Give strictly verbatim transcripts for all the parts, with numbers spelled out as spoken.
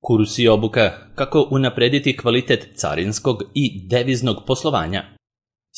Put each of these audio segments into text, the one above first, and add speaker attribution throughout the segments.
Speaker 1: Kurs i obuka kako unaprediti kvalitet carinskog i deviznog poslovanja.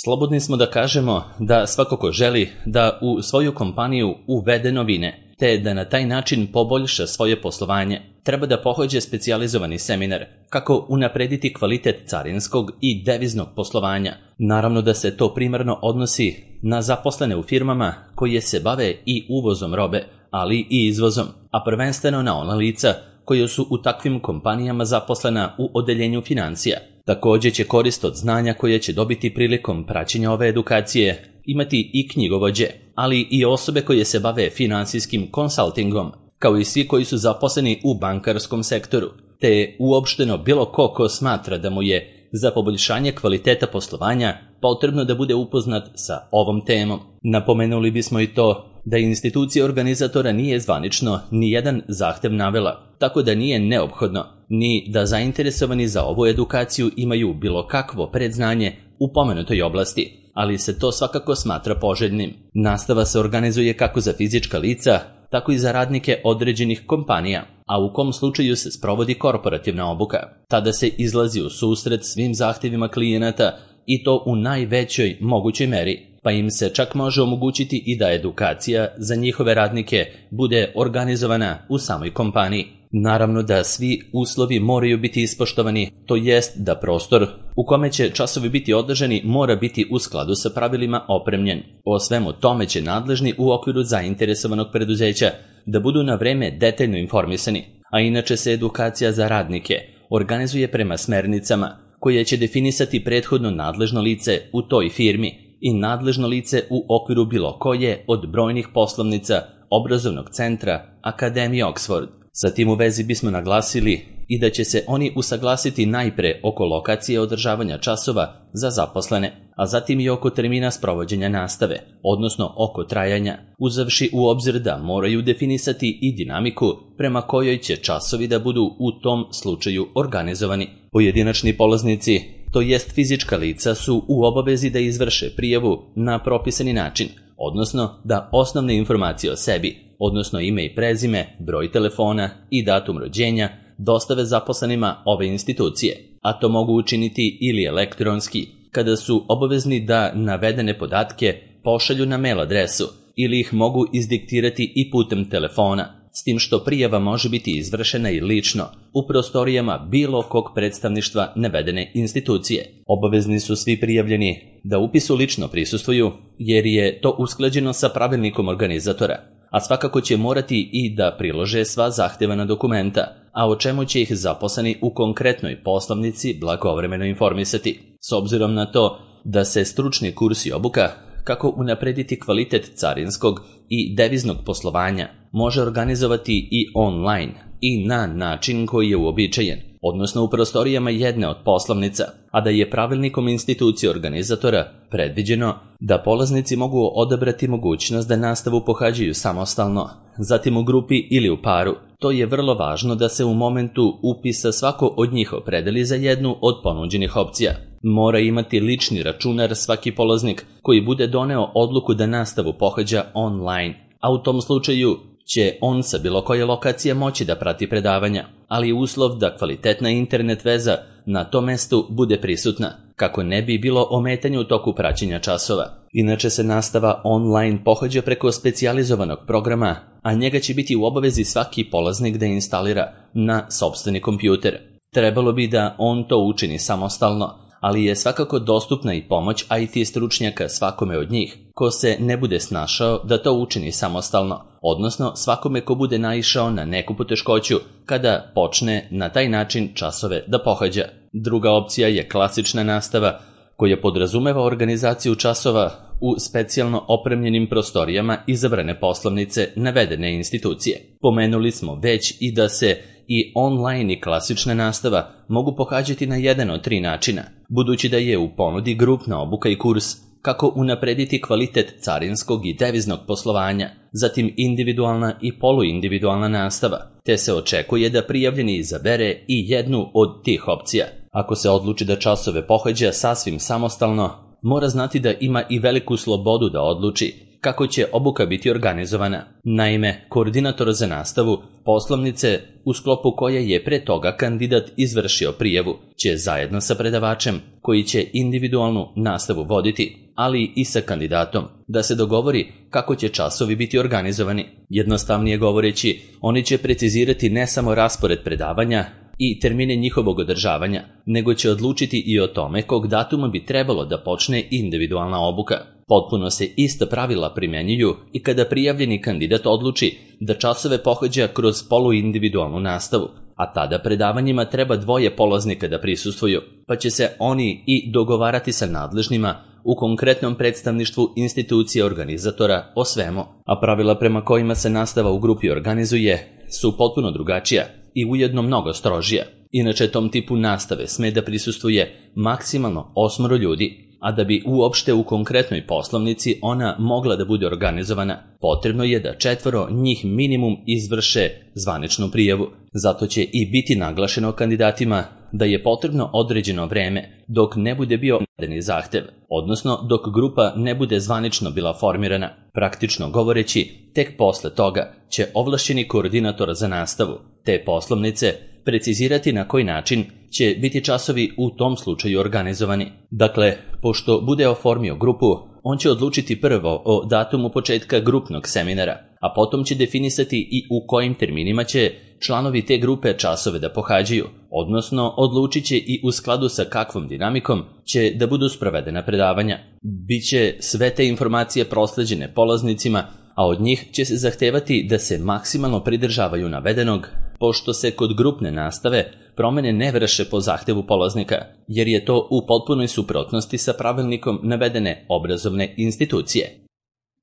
Speaker 1: Slobodni smo da kažemo da svako ko želi da u svoju kompaniju uvede novine, te da na taj način poboljša svoje poslovanje, treba da pohađa specijalizovani seminar kako unaprediti kvalitet carinskog i deviznog poslovanja. Naravno da se to primarno odnosi na zaposlene u firmama koje se bave i uvozom robe, ali i izvozom, a prvenstveno na ona lica koje su u takvim kompanijama zaposlena u odeljenju financija. Također će korist od znanja koje će dobiti prilikom praćenja ove edukacije imati i knjigovođe, ali i osobe koje se bave finansijskim konsultingom, kao i svi koji su zaposleni u bankarskom sektoru, te uopšteno bilo ko ko smatra da mu je za poboljšanje kvaliteta poslovanja potrebno da bude upoznat sa ovom temom. Napomenuli bismo i to da institucija organizatora nije zvanično ni jedan zahtev navela, tako da nije neophodno ni da zainteresovani za ovu edukaciju imaju bilo kakvo predznanje u pomenutoj oblasti, ali se to svakako smatra poželjnim. Nastava se organizuje kako za fizička lica, tako i za radnike određenih kompanija, a u kom slučaju se sprovodi korporativna obuka. Tada se izlazi u susret svim zahtjevima klijenata i to u najvećoj mogućoj meri, pa im se čak može omogućiti i da edukacija za njihove radnike bude organizovana u samoj kompaniji. Naravno da svi uslovi moraju biti ispoštovani, to jest da prostor u kome će časovi biti održani mora biti u skladu sa pravilima opremljen. O svemu tome će nadležni u okviru zainteresovanog preduzeća da budu na vreme detaljno informisani, a inače se edukacija za radnike organizuje prema smernicama koje će definisati prethodno nadležno lice u toj firmi i nadležno lice u okviru bilo koje od brojnih poslovnica, obrazovnog centra, Akademije Oxford. Sa tim u vezi bismo naglasili i da će se oni usaglasiti najpre oko lokacije održavanja časova za zaposlene, a zatim i oko termina sprovođenja nastave, odnosno oko trajanja, uzevši u obzir da moraju definisati i dinamiku prema kojoj će časovi da budu u tom slučaju organizovani. Pojedinačni polaznici, to jest fizička lica, su u obavezi da izvrše prijavu na propisani način, odnosno da osnovne informacije o sebi, odnosno ime i prezime, broj telefona i datum rođenja, dostave zaposlenima ove institucije, a to mogu učiniti ili elektronski, kada su obavezni da navedene podatke pošalju na mail adresu, ili ih mogu izdiktirati i putem telefona, s tim što prijava može biti izvršena i lično u prostorijama bilo kog predstavništva navedene institucije. Obavezni su svi prijavljeni da upisu lično prisustvuju, jer je to usklađeno sa pravilnikom organizatora, a svakako će morati i da prilože sva zahtevana dokumenta, a o čemu će ih zaposleni u konkretnoj poslovnici blagovremeno informisati. S obzirom na to da se stručni kurs i obuka kako unaprediti kvalitet carinskog i deviznog poslovanja može organizovati i online i na način koji je uobičajen, odnosno u prostorijama jedne od poslovnica, a da je pravilnikom institucije organizatora predviđeno da polaznici mogu odabrati mogućnost da nastavu pohađaju samostalno, zatim u grupi ili u paru. To je vrlo važno da se u momentu upisa svako od njih opredeli za jednu od ponuđenih opcija. Mora imati lični računar svaki polaznik koji bude doneo odluku da nastavu pohađa online, a u tom slučaju će on sa bilo koje lokacije moći da prati predavanja, ali uslov da kvalitetna internet veza na tom mestu bude prisutna, kako ne bi bilo ometanja u toku praćenja časova. Inače se nastava online pohađa preko specijalizovanog programa, a njega će biti u obavezi svaki polaznik da instalira na sopstveni kompjuter. Trebalo bi da on to učini samostalno, ali je svakako dostupna i pomoć I T stručnjaka svakome od njih, ko se ne bude snašao da to učini samostalno, odnosno svakome ko bude naišao na neku poteškoću kada počne na taj način časove da pohađa. Druga opcija je klasična nastava, koja podrazumeva organizaciju časova u specijalno opremljenim prostorijama izabrane poslovnice navedene institucije. Pomenuli smo već i da se i online i klasična nastava mogu pohađati na jedan od tri načina, budući da je u ponudi grupna obuka i kurs kako unaprediti kvalitet carinskog i deviznog poslovanja, zatim individualna i poluindividualna nastava, te se očekuje da prijavljeni izabere i jednu od tih opcija. Ako se odluči da časove pohađa sasvim samostalno, mora znati da ima i veliku slobodu da odluči kako će obuka biti organizovana. Naime, koordinator za nastavu poslovnice u sklopu koje je pre toga kandidat izvršio prijavu će zajedno sa predavačem koji će individualnu nastavu voditi, ali i sa kandidatom, da se dogovori kako će časovi biti organizovani. Jednostavnije govoreći, oni će precizirati ne samo raspored predavanja i termine njihovog održavanja, nego će odlučiti i o tome kog datuma bi trebalo da počne individualna obuka. Potpuno se ista pravila primjenjuju i kada prijavljeni kandidat odluči da časove pohađa kroz poluindividualnu nastavu, a tada predavanjima treba dvoje polaznika da prisustvuju, pa će se oni i dogovarati sa nadležnima u konkretnom predstavništvu institucije organizatora o svemu, a pravila prema kojima se nastava u grupi organizuje su potpuno drugačija i ujedno mnogo strožija. Inače, tom tipu nastave sme da prisustvuje maksimalno osmoro ljudi, a da bi uopšte u konkretnoj poslovnici ona mogla da bude organizovana, potrebno je da četvoro njih minimum izvrše zvaničnu prijavu. Zato će i biti naglašeno kandidatima da je potrebno određeno vreme dok ne bude bio navedeni zahtev, odnosno dok grupa ne bude zvanično bila formirana. Praktično govoreći, tek posle toga će ovlašćeni koordinator za nastavu te poslovnice precizirati na koji način će biti časovi u tom slučaju organizovani. Dakle, pošto bude oformio grupu, on će odlučiti prvo o datumu početka grupnog seminara, a potom će definisati i u kojim terminima će članovi te grupe časove da pohađaju, odnosno odlučit će i u skladu sa kakvom dinamikom će da budu sprovedena predavanja. Biće sve te informacije prosleđene polaznicima, a od njih će se zahtevati da se maksimalno pridržavaju navedenog, pošto se kod grupne nastave promene ne vrše po zahtevu polaznika, jer je to u potpunoj suprotnosti sa pravilnikom navedene obrazovne institucije.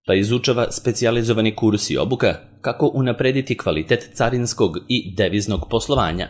Speaker 1: Pa izučava specijalizovani kurs i obuka kako unaprediti kvalitet carinskog i deviznog poslovanja.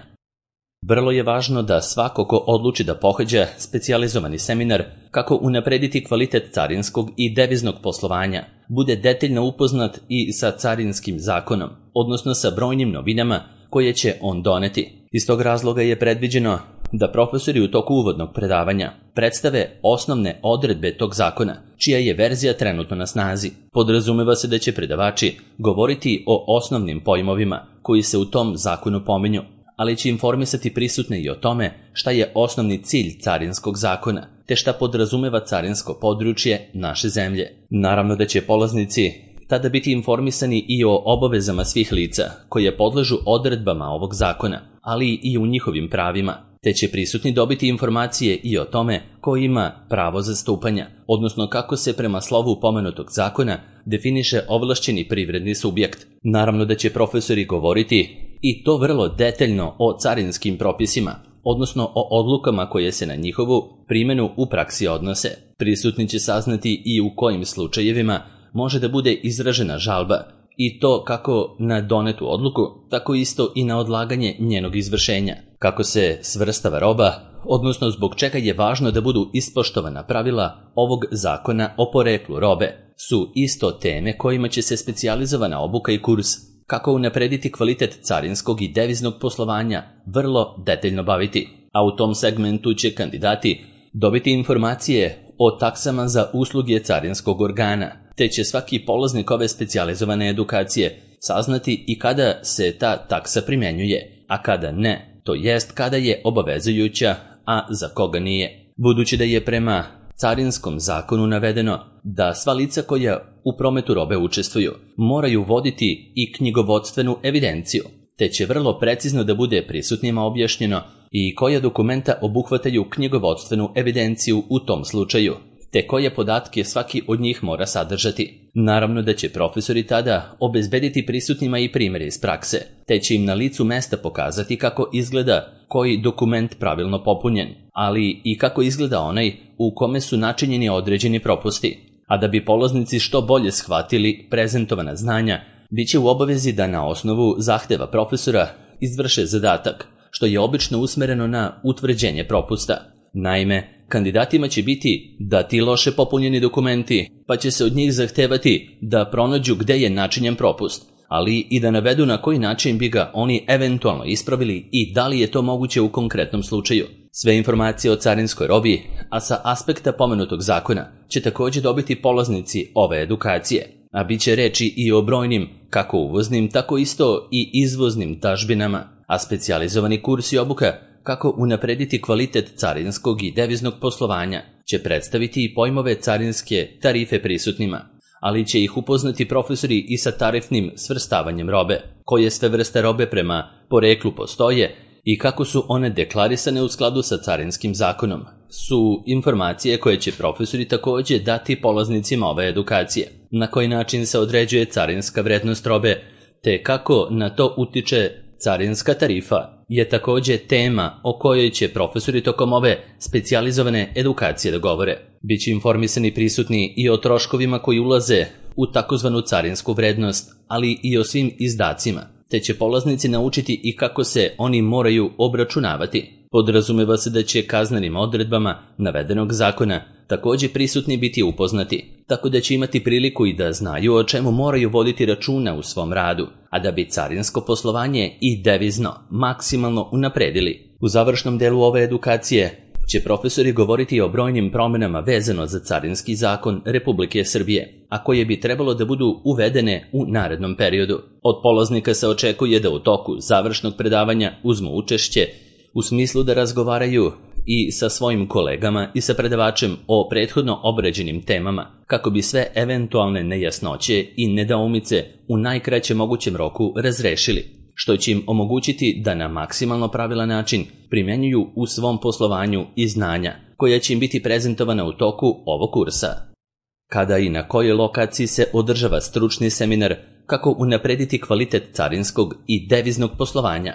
Speaker 1: Vrlo je važno da svako ko odluči da pohađa specijalizovani seminar kako unaprediti kvalitet carinskog i deviznog poslovanja, bude detaljno upoznat i sa carinskim zakonom, odnosno sa brojnim novinama koje će on doneti. Iz tog razloga je predviđeno da profesori u toku uvodnog predavanja predstave osnovne odredbe tog zakona, čija je verzija trenutno na snazi. Podrazumeva se da će predavači govoriti o osnovnim pojmovima koji se u tom zakonu pominju, ali će informisati prisutne i o tome šta je osnovni cilj carinskog zakona, te šta podrazumeva carinsko područje naše zemlje. Naravno da će polaznici tada biti informisani i o obavezama svih lica koje podležu odredbama ovog zakona, ali i u njihovim pravima, te će prisutni dobiti informacije i o tome ko ima pravo zastupanja, odnosno kako se prema slovu pomenutog zakona definiše ovlašćeni privredni subjekt. Naravno da će profesori govoriti i to vrlo detaljno o carinskim propisima, odnosno o odlukama koje se na njihovu primjenu u praksi odnose. Prisutni će saznati i u kojim slučajevima može da bude izražena žalba, i to kako na donetu odluku, tako isto i na odlaganje njenog izvršenja. Kako se svrstava roba, odnosno zbog čega je važno da budu ispoštovana pravila ovog zakona o poreklu robe, su isto teme kojima će se specijalizovana obuka i kurs kako unaprediti kvalitet carinskog i deviznog poslovanja vrlo detaljno baviti, a u tom segmentu će kandidati dobiti informacije o taksama za usluge carinskog organa, te će svaki polaznik ove specijalizovane edukacije saznati i kada se ta taksa primjenjuje, a kada ne, to jest kada je obavezujuća, a za koga nije. Budući da je prema carinskom zakonu navedeno da sva lica koja u prometu robe učestvuju moraju voditi i knjigovodstvenu evidenciju, te će vrlo precizno da bude prisutnima objašnjeno i koja dokumenta obuhvataju knjigovodstvenu evidenciju u tom slučaju, te koje podatke svaki od njih mora sadržati. Naravno da će profesori tada obezbediti prisutnima i primjere iz prakse, te će im na licu mesta pokazati kako izgleda koji dokument pravilno popunjen, ali i kako izgleda onaj u kome su načinjeni određeni propusti. A da bi polaznici što bolje shvatili prezentovana znanja, bit će u obavezi da na osnovu zahteva profesora izvrše zadatak, što je obično usmereno na utvrđenje propusta. Naime, kandidatima će biti dati loše popunjeni dokumenti, pa će se od njih zahtevati da pronađu gde je načinjen propust, ali i da navedu na koji način bi ga oni eventualno ispravili i da li je to moguće u konkretnom slučaju. Sve informacije o carinskoj robi, a sa aspekta pomenutog zakona, će također dobiti polaznici ove edukacije, a bit će reči i o brojnim, kako uvoznim, tako isto i izvoznim dažbinama, a specijalizovani kurs i obuka kako unaprediti kvalitet carinskog i deviznog poslovanja će predstaviti i pojmove carinske tarife prisutnima, ali će ih upoznati profesori i sa tarifnim svrstavanjem robe, koje sve vrste robe prema poreklu postoje i kako su one deklarisane u skladu sa carinskim zakonom, su informacije koje će profesori također dati polaznicima ove edukacije, na koji način se određuje carinska vrednost robe, te kako na to utiče carinska tarifa, je također tema o kojoj će profesori tokom ove specijalizovane edukacije da govore. Biće informisani prisutni i o troškovima koji ulaze u takozvanu carinsku vrednost, ali i o svim izdacima, te će polaznici naučiti i kako se oni moraju obračunavati. Podrazumeva se da će kaznenim odredbama navedenog zakona također prisutni biti upoznati, tako da će imati priliku i da znaju o čemu moraju voditi računa u svom radu, a da bi carinsko poslovanje i devizno maksimalno unapredili. U završnom delu ove edukacije će profesori govoriti o brojnim promjenama vezano za carinski zakon Republike Srbije, a koje bi trebalo da budu uvedene u narednom periodu. Od polaznika se očekuje da u toku završnog predavanja uzmu učešće u smislu da razgovaraju i sa svojim kolegama i sa predavačem o prethodno obrađenim temama, kako bi sve eventualne nejasnoće i nedoumice u najkraćem mogućem roku razrešili, što će im omogućiti da na maksimalno pravilan način primjenjuju u svom poslovanju i znanja, koja će im biti prezentovana u toku ovog kursa. Kada i na kojoj lokaciji se održava stručni seminar kako unaprediti kvalitet carinskog i deviznog poslovanja?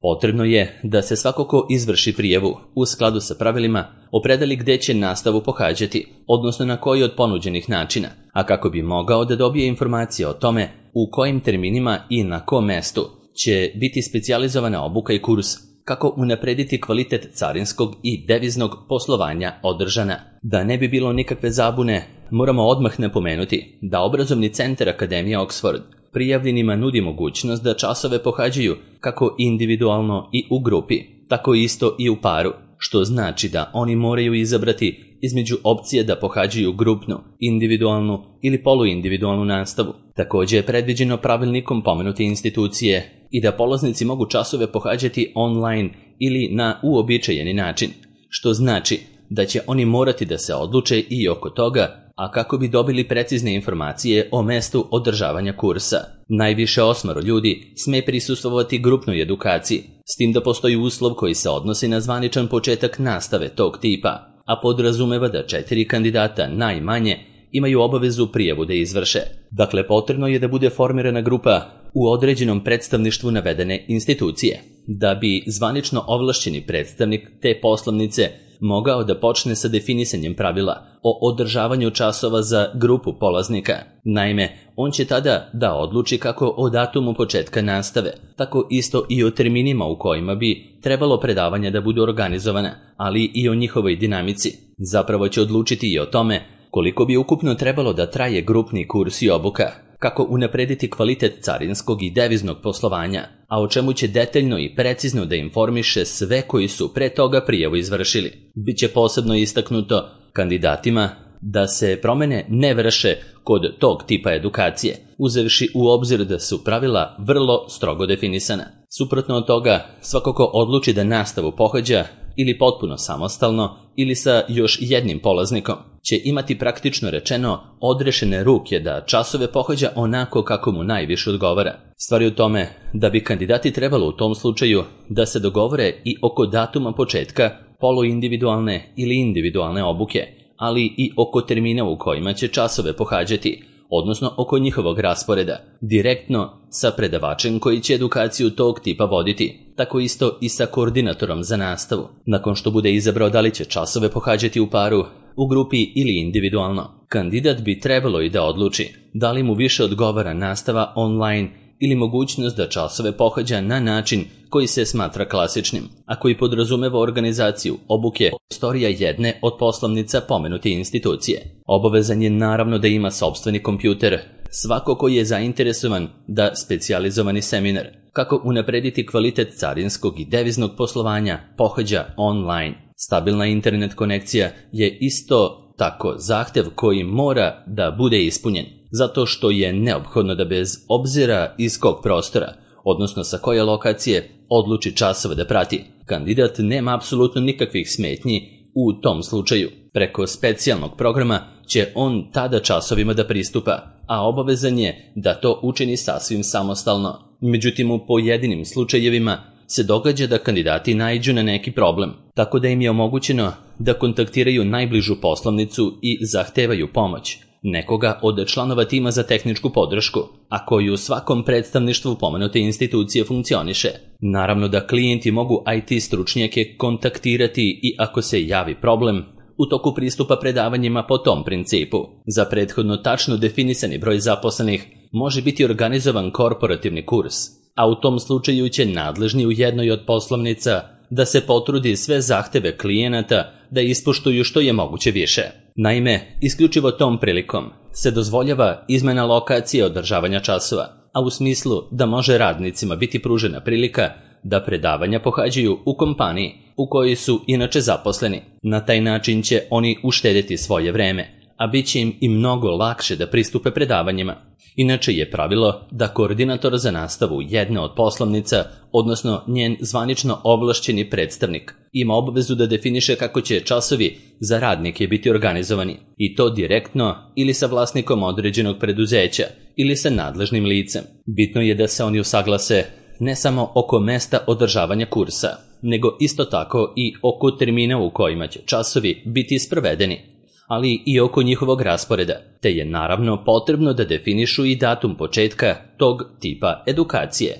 Speaker 1: Potrebno je da se svako ko izvrši prijavu u skladu sa pravilima opredeli gdje će nastavu pohađati, odnosno na koji od ponuđenih načina, a kako bi mogao da dobije informacije o tome u kojim terminima i na kom mestu će biti specijalizovana obuka i kurs kako unaprediti kvalitet carinskog i deviznog poslovanja održana. Da ne bi bilo nikakve zabune, moramo odmah napomenuti da obrazovni centar Akademija Oxford prijavljenima nudi mogućnost da časove pohađaju kako individualno i u grupi, tako isto i u paru, što znači da oni moraju izabrati između opcije da pohađaju grupnu, individualnu ili poluindividualnu nastavu. Također je predviđeno pravilnikom pomenute institucije i da polaznici mogu časove pohađati online ili na uobičajeni način, što znači da će oni morati da se odluče i oko toga, a kako bi dobili precizne informacije o mestu održavanja kursa. Najviše osmoro ljudi sme prisustvovati grupnoj edukaciji, s tim da postoji uslov koji se odnosi na zvaničan početak nastave tog tipa, a podrazumeva da četiri kandidata najmanje imaju obavezu prijavu da izvrše. Dakle, potrebno je da bude formirana grupa u određenom predstavništvu navedene institucije, da bi zvanično ovlašćeni predstavnik te poslovnice mogao da počne sa definisanjem pravila o održavanju časova za grupu polaznika. Naime, on će tada da odluči kako o datumu početka nastave, tako isto i o terminima u kojima bi trebalo predavanja da budu organizovana, ali i o njihovoj dinamici. Zapravo će odlučiti i o tome koliko bi ukupno trebalo da traje grupni kurs i obuka, kako unaprediti kvalitet carinskog i deviznog poslovanja, a o čemu će detaljno i precizno da informiše sve koji su pre toga prijavu izvršili. Biće posebno istaknuto kandidatima da se promene ne vrše kod tog tipa edukacije, uzevši u obzir da su pravila vrlo strogo definisana. Suprotno od toga, svako ko odluči da nastavu pohađa ili potpuno samostalno ili sa još jednim polaznikom, će imati praktično rečeno odrešene ruke da časove pohađa onako kako mu najviše odgovara. Stvar je u tome da bi kandidati trebalo u tom slučaju da se dogovore i oko datuma početka poluindividualne ili individualne obuke, ali i oko termina u kojima će časove pohađati, odnosno oko njihovog rasporeda, direktno sa predavačem koji će edukaciju tog tipa voditi, tako isto i sa koordinatorom za nastavu. Nakon što bude izabrao da li će časove pohađati u paru, u grupi ili individualno, kandidat bi trebalo i da odluči da li mu više odgovara nastava online ili mogućnost da časove pohađa na način koji se smatra klasičnim, a koji podrazumeva organizaciju obuke prostorija jedne od poslovnica pomenute institucije. Obavezan je naravno da ima sopstveni kompjuter, svako koji je zainteresovan da specijalizovani seminar kako unaprediti kvalitet carinskog i deviznog poslovanja pohađa online. Stabilna internet konekcija je isto tako zahtev koji mora da bude ispunjen, zato što je neophodno da bez obzira iz kog prostora, odnosno sa koje lokacije, odluči časove da prati. Kandidat nema apsolutno nikakvih smetnji u tom slučaju. Preko specijalnog programa će on tada časovima da pristupa, a obavezan je da to učini sasvim samostalno. Međutim, u pojedinim slučajevima se događa da kandidati naiđu na neki problem, tako da im je omogućeno da kontaktiraju najbližu poslovnicu i zahtevaju pomoć nekoga od članova tima za tehničku podršku, a koji u svakom predstavništvu pomenute institucije funkcioniše. Naravno da klijenti mogu I T stručnjake kontaktirati i ako se javi problem u toku pristupa predavanjima po tom principu. Za prethodno tačno definisani broj zaposlenih može biti organizovan korporativni kurs, a u tom slučaju će nadležni u jednoj od poslovnica da se potrudi sve zahteve klijenata da ispoštuju što je moguće više. Naime, isključivo tom prilikom se dozvoljava izmena lokacije održavanja časova, a u smislu da može radnicima biti pružena prilika da predavanja pohađaju u kompaniji u kojoj su inače zaposleni. Na taj način će oni uštedeti svoje vreme, a bit će im i mnogo lakše da pristupe predavanjima. Inače je pravilo da koordinator za nastavu jedne od poslovnica, odnosno njen zvanično ovlašćeni predstavnik, ima obavezu da definiše kako će časovi za radnike biti organizovani, i to direktno ili sa vlasnikom određenog preduzeća ili sa nadležnim licem. Bitno je da se oni usaglase ne samo oko mesta održavanja kursa, nego isto tako i oko termina u kojima će časovi biti sprovedeni, ali i oko njihovog rasporeda, te je naravno potrebno da definišu i datum početka tog tipa edukacije.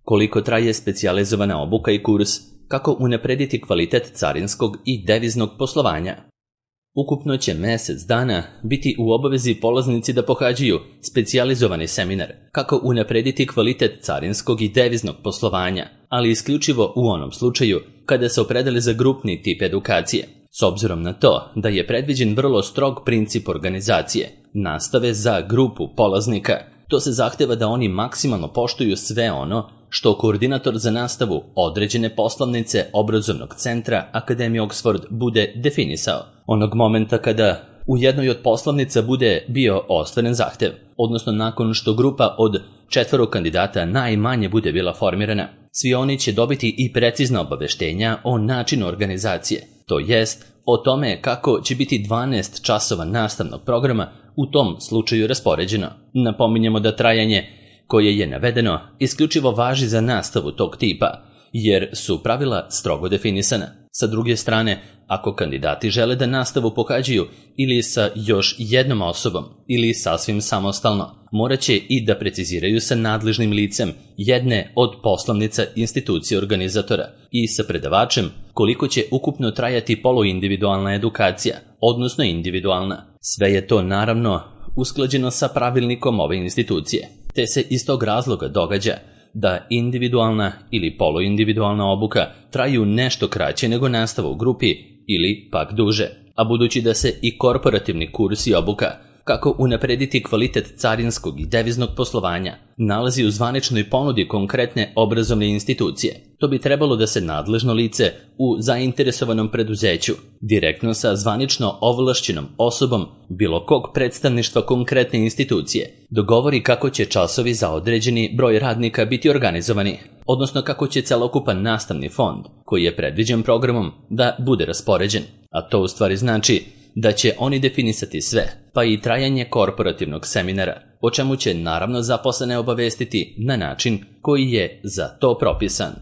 Speaker 1: Koliko traje specijalizovana obuka i kurs, kako unaprediti kvalitet carinskog i deviznog poslovanja? Ukupno će mjesec dana biti u obavezi polaznici da pohađaju specijalizovani seminar kako unaprediti kvalitet carinskog i deviznog poslovanja, ali isključivo u onom slučaju kada se opredele za grupni tip edukacije. S obzirom na to da je predviđen vrlo strog princip organizacije nastave za grupu polaznika, to se zahteva da oni maksimalno poštuju sve ono što koordinator za nastavu određene poslovnice obrazovnog centra Akademije Oxford bude definisao. Onog momenta kada u jednoj od poslovnica bude bio ostvaren zahtev, odnosno nakon što grupa od četvoro kandidata najmanje bude bila formirana, svi oni će dobiti i precizna obaveštenja o načinu organizacije, to jest o tome kako će biti dvanaest časova nastavnog programa u tom slučaju raspoređeno. Napominjemo da trajanje koje je navedeno isključivo važi za nastavu tog tipa, jer su pravila strogo definisana. Sa druge strane, ako kandidati žele da nastavu pohađaju ili sa još jednom osobom ili sasvim samostalno, morat će i da preciziraju sa nadležnim licem jedne od poslovnica institucije organizatora i sa predavačem koliko će ukupno trajati poluindividualna edukacija, odnosno individualna. Sve je to naravno usklađeno sa pravilnikom ove institucije, te se iz tog razloga događa da individualna ili poluindividualna obuka traju nešto kraće nego nastava u grupi ili pak duže, a budući da se i korporativni kurs i obuka kako unaprediti kvalitet carinskog i deviznog poslovanja nalazi u zvaničnoj ponudi konkretne obrazovne institucije, to bi trebalo da se nadležno lice u zainteresovanom preduzeću direktno sa zvanično ovlašćenom osobom bilo kog predstavništva konkretne institucije dogovori kako će časovi za određeni broj radnika biti organizovani, odnosno kako će celokupan nastavni fond koji je predviđen programom da bude raspoređen, a to u stvari znači da će oni definisati sve, pa i trajanje korporativnog seminara, o čemu će naravno zaposlene obavestiti na način koji je za to propisan.